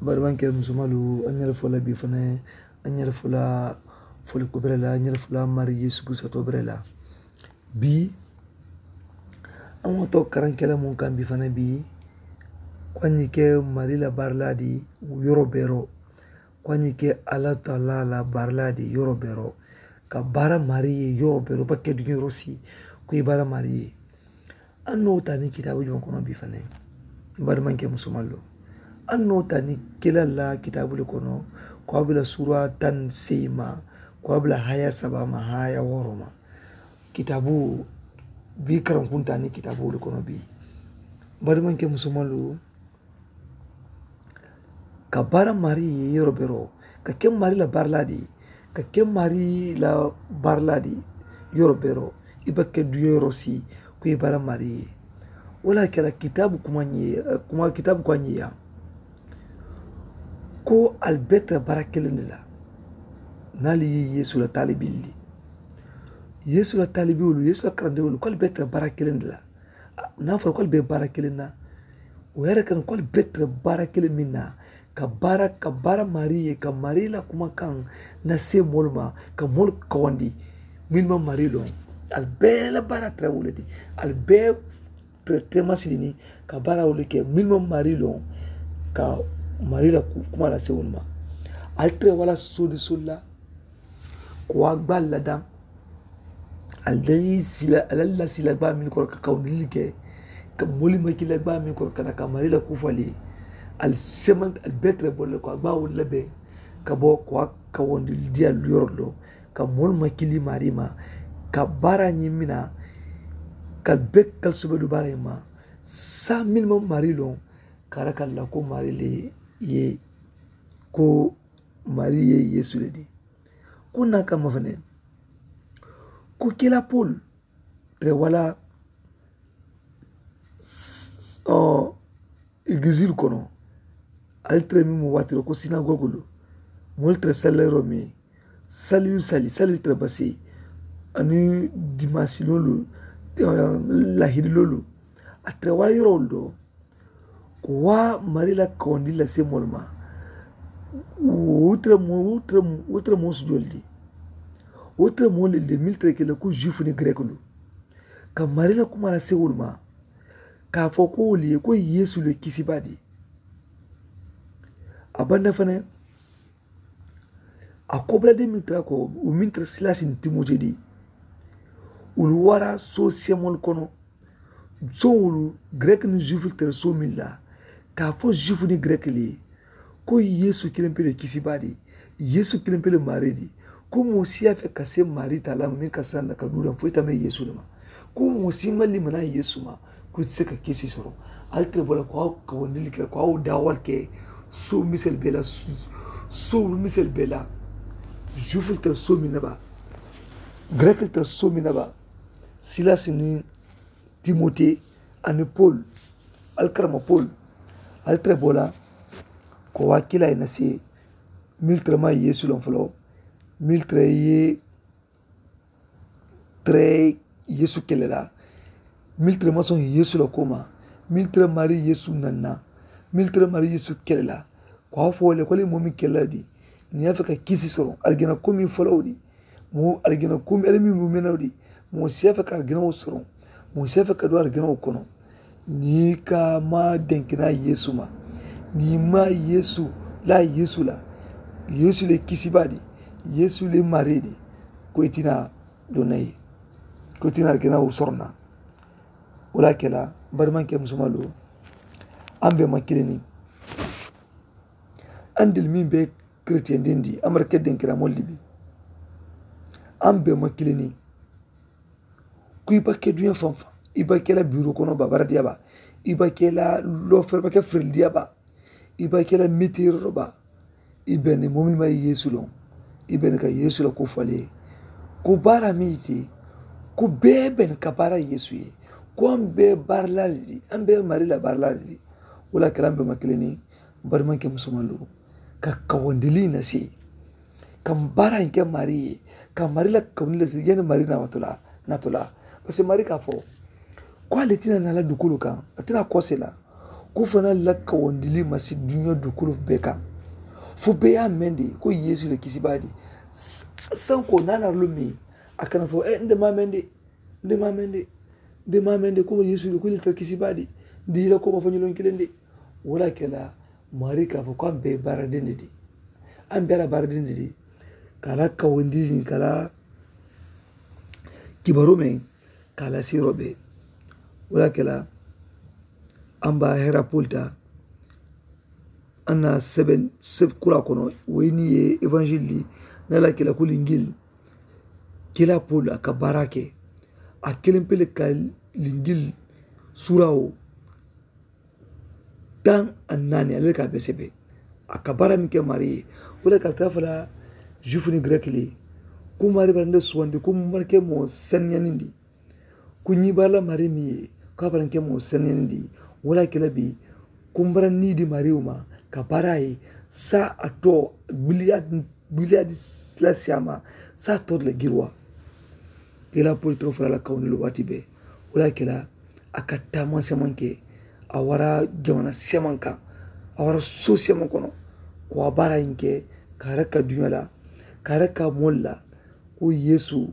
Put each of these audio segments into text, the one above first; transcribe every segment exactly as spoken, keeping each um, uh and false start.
Bari maŋ kele musomalu, a ŋa le fo la bii fanaŋ, a ŋa le fo la fo le ko bere la, a ŋa le fo la mari yesu kristo to bere la. Bii a ŋa to karaŋ kele muŋ kaŋ bii fanaŋ bii, ko a ŋa ke mari la bari la di yoro bero, ko a ŋa ke alla taala la bari la di yoro bero, ka bara mari ye yoro bero ba ke duŋ yoro si, ko i bara mari ye. An no tani kitaabu jumaŋ kono bii fanaŋ? Bari maŋ ke musomalu, an no tani kila la kitaabu le kono, ko a bila sura tan seyi ma, ko a bila haya saba ma haya woro ma. Kitaabu bii karaŋ kunta ni kitaabu le kono bii. Bari maŋ ke musomalu, ka bara mari ye yoro bero, ka ke mari la bari la di, ka ke mari la bari la di yoro bero, i ba ke du yoro si, ko i bara mari ye. Wala kela kitaabu kuma ŋa ye kuma kitaabu ko a ŋa ye ya, ko ali be tara bara kelendi la. Naali ye yesu la taalibilli, yesu la taalibiwolu yesu la karandewolu ko ali be tara bara kelendi la. Naa fo la ko ali be bara kelendi na. Wo yere kana ko ali be tara bara kelendi min na, ka bara ka bara mari ye ka mari la kuma kaŋ na se moolu ma, ka moolu kawandi. Min ma mari loŋ, ali be la bara tara wole di, ali be tara tema silini, ka bara wole ke min ma mari loŋ, ka mari la kuma la se wole ma. Ali tara wala sodi solla, ko a gba ladaŋ. Ali la sila ali la sila gba min koro ka kawundili ke, ka moli ma kila gba min koro kana ka mari la kufali. Ali seman ali betre bolle ko a gba wala be, ka bo ko a kawundili diya luyoro lo, ka moli ma kili mari ma, ka bara ɲi mina, ka be kal subedu bara ma. Sa min ma mari lo, kara kala ko mari le ye, ko mari ye yesu le di. Ko na kamma fanaŋ, ko kila pol, tere wala igisil kono, ali tere mi mu watiro ko sinagogulu, mol tere salero mi, saliyu sali sali tere basi, ani dimasilolu, lahidilolu, a tere wala yorolu do. Ko wa mari la kawandi la se molu ma. Wo tara mo wo tara mo wo tara mo su joldi. Wo tara mo le le miltre ke la ko juif ni grek lu, ka mari la kuma la se wolu ma, ka fo ko wo le ko yesu le kisi badi. A banda fane, a kobla de miltre ko wo miltre silasi ni timote di. Wolu wara so semol kono, soŋolu, grek ni juif le tara soomiŋ la, ka a fo juif ni grek le ye, ko yesu kilempe le kisibaa di, yesu kilempe le maari di, ko moo si ye a fe ka se maari taa la meŋ ka sanda ka duu daŋ fo i tame yesu le ma, ko moo si ma limana yesu ma, ko i te se ka kisi soro. Ali tara bola ko a wo kawandili ke ko a wo daawal ke, soo misel bela, soo misel bela, juif le tara soomiŋ na ba, grek le tara soomiŋ na ba. Silasi ni timote, ani pol, ali karama pol, ali tara bola, ko waa kila i na se, mil tara ma yesu loŋ folo, mil tara ye, tara yesu kele la, mil tara ma soŋ yesu la koma, mil tara mari yesu nanna, mil tara mari yesu kele la. Ko a fo le ko le moo meŋ kele la di, niŋ ye a fe ka kisi soro arijana komi folowo di, moo arijana komi ali meŋ mu menawo di, moo si ye a fe ka arijanawo soro, moo si ye a fe ka do arijanawo kono. Niŋ i ka maa denkina yesu ma, niŋ i maa yesu la yesu la, yesu le kisibaa di, yesu le maari di, ko i tina do na ye, ko i tina arijanawo soro na. Wo le a ke la, bari maŋ ke musumalu, aŋ be ma kilini. Andil meŋ be keretiyendindi amerika denkira moolu di bi, aŋ be ma kilini. Ku i ba ke duña fanfan, i ba ke la biiro kono ba baradiya ba, i ba ke la lofere ba ke ferelidiya ba, i ba ke la mitiiro ba. I beni momin ma yesu loŋ, i beni ka yesu la ku fali ye. Ku baara mi ite, ku bee beni ka baara yesu ye. Ku an bee baara la le di, an bee mari la baara la le di. Wo la kela an bee ma kilini. Bari maŋ ke musumalu, ka kawandili na se, ka baara in ke mari ye, ka mari la kawandili na se yeni mari na watula, natula. Parce que mari ka fo, ko ale tina na la dukulu kaŋ, a tina kose la. Ko fanaa lakkawandili ma si duniya dukulu bee kaŋ. Fo bee ye a mendi ko yeesu le kisibaa di. Sanko naanaa lu mi a kana fo n de maa mendi n de maa mendi n de maa mendi ko yeesu le ko le tara kisibaa di. N de yila ko ma fo ñoloŋ kiliŋ di. Wo le a ke la maari ka fo ko a mbe baara dendi di. A mbe a la baara dendi di. Ka a lakkawandili ka a la kibaroo meŋ ka a la siiroo bee. Wo le a ke la a mbe a hera poli taa. A na seben seb kura kono wo ye niŋ ye evanzili di. Niŋ a la kila ku linjili kila poli a ka baara ke. A kiliŋ pele ka linjili suura wo taŋ a naani ale le ka a be sebe. A ka baara meŋ ke maari ye wo le ka a taa fo la zuwifu niŋ gereki le. Ku maari bara nde suwandi ku mara ke moo seniyanindi. Ku ñiŋ baara la maari meŋ ye ko a bara nke moo senenindi. Wo le a ke la bii ku m bara nii di maariwo ma ka baara a ye. Saayiŋ a too biliyaa biliyaa di la siyaama saayiŋ a too di la giriwaa. Ke la poli too fo la a la kawundiloo waati bee. Wo le a ke la a ka taama semaŋ ke a wara jamana semaŋ kaŋ. A wara soo semaŋ kono ko a baara ñiŋ ke ka a raki ka duñaa la ka a raki ka moolu la ko yeesu.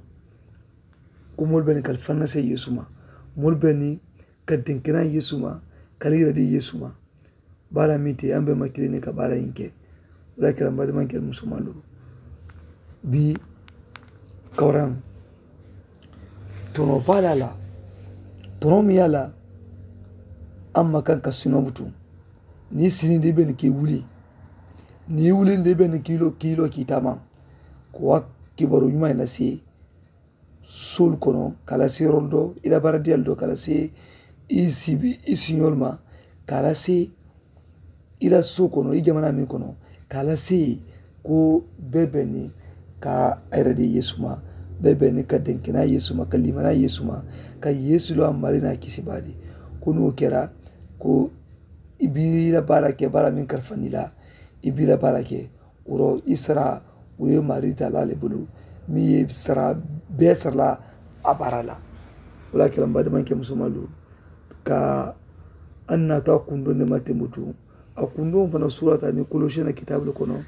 Ko moolu be niŋ ka ali fannasee yeesu ma moolu be niŋ ka denkenaa yeesu ma ka ali yiradi yeesu ma. Baara meŋ te a mbe ma kiliŋ ne ka baara ñiŋ ke. Wo le a ke la mbaadimaŋ ke ali musomaŋ lu bii kawuraŋ tonoo baa le a la. Tonoo meŋ ye a la a ma kaŋ ka sinoo butu niŋ i sinindi i be niŋ ka i wuli niŋ i wulindi i be niŋ ka i loo ka i loo ka i taama. Ko a kibaroo ñumaa ye na sii soolu kono ka a la seeroolu doo i la baradiyaalu doo ka a la see i sibi i siñoolu ma ka a la see i la soo kono i jamanaa meŋ kono ka a la see ko bee be niŋ ka a yere di yeesu ma. Bee be niŋ ka denkenaa yeesu ma ka limanaa yeesu ma ka yeesu loo a marii naa kisi baadi. Ko niŋ wo kera ko i be i la baara ke baara meŋ karifandi la i be i la baara ke. Wuro i sara wo ye maari taalaa le bulu meŋ ye sara bee sara la a baara la. Wo le a ke la mbaadimanke musomalu ka a naata a kundoŋ ne ma tenbutu. A kundoŋ fana suurata niŋ kolosiyeŋ na kitaabu le kono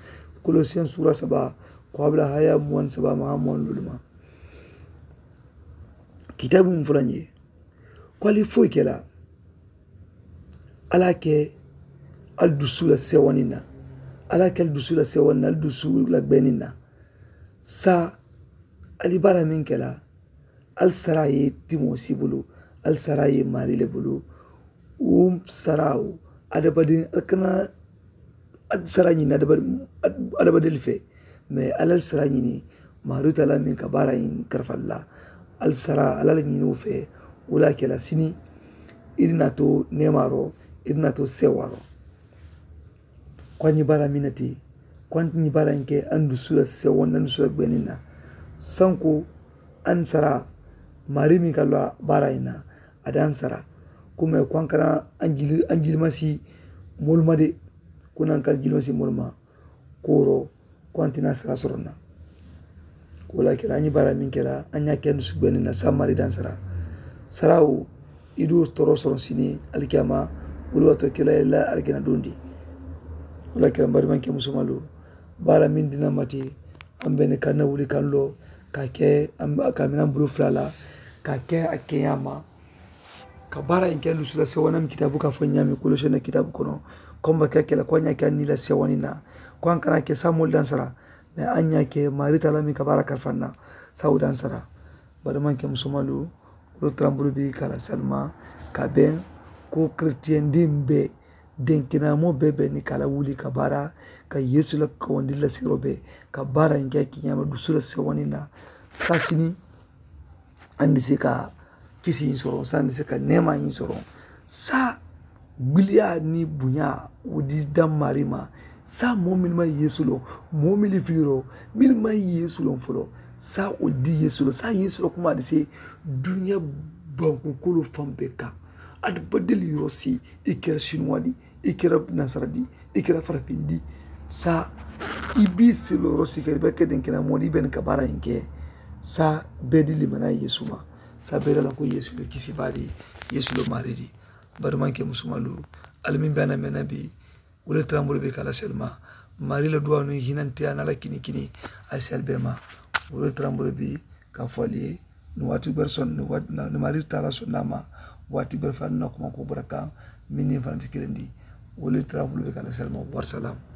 kolosiyeŋ suura saba ko a bula haya muwaŋ saba ma a muwaŋ lulu ma. Kitaabu mu fula ñe ko ali foyi ke la. Alla ke ali dusu la sewani na. Alla ke ali dusu la sewani na ali dusu la gbeni na. Sa ali bara min ke la ali sara ye timo si bulu. Ali sara ye mari le bulu. Wum sara wo adabadin ali kana ali sara ñini adabadin ali fe. Mais alla ali sara ñini maari tala min ka bara in karfalla. Ali sara alla ali ñini wo fe. Wula ke la sini iri na to nemaro iri na to sewaro. Ko a ñi bara minati ko a ñi bara in ke andu sula sewon andu sula gbenin na. Sanko an sara mari min ka lo bara in na. A dan sara kuma ko an kana an jilmasi molma de. Kuna an kal jilmasi molma koro ko an tina sara sorona. Ko la kela an ñi bara min kela an ña ken su gbenin na sa mari dan sara. Sarawo i du toro soron sini alkiyama wulu wato kela la alkiyama dundi. Wala kela mbari man ke musumalu bara min dina mati an bene kan na wuli kan lo ka ke ka minan bulu fulala ka ke a keyama. Ka bara in ke lusula sewanam kitabu ka fo ñami kulosena kitabu kono. Komba ke kela ko ña ke anila sewanina ko an kana ke samol dansara. Mais an ña ke mari talami ka bara karfanna sawu dansara. Bari man ke musumalu wulu trambulu bi kala salma ka ben ko chrétien dimbe. Denkinamo bee be ni ka la wuli ka bara ka yeesu la kawandi la siro be ka bara nke ki ñama dusu la sewani na. Sasini andi si ka kisi in soron sa andi si ka nema in soron. Sa biliya ni buña wudi dan marima. Sa mo milma yeesu lo mo mili filiro milma yeesu lo folo. Sa wudi yeesu lo sa yeesu lo kuma andi si duña banku kolo fan be kan. Adi badeli yoro si i kera sinuwa di i kera nasara di i kera farafin di. Sa i bi silo yoro si kera i beke den kena modi ben ka bara inke. Sa bedi limana yeesu ma sa bedi la ko yeesu be kisi badi yeesu lo maridi. Badi manke musumalu Ali meŋ be a na meŋ na bii wo le tarambo le be ka la selma mari la duwa nu hinantiya na la kini kini. Ali sel be ma wo le tarambo le bi ka fo ali ye ni waati ber son ni mari tara son nama waati ber fan na kuma ko baraka. Mini fanati kilendi wo le tarambo le be ka la selma. Warsalam.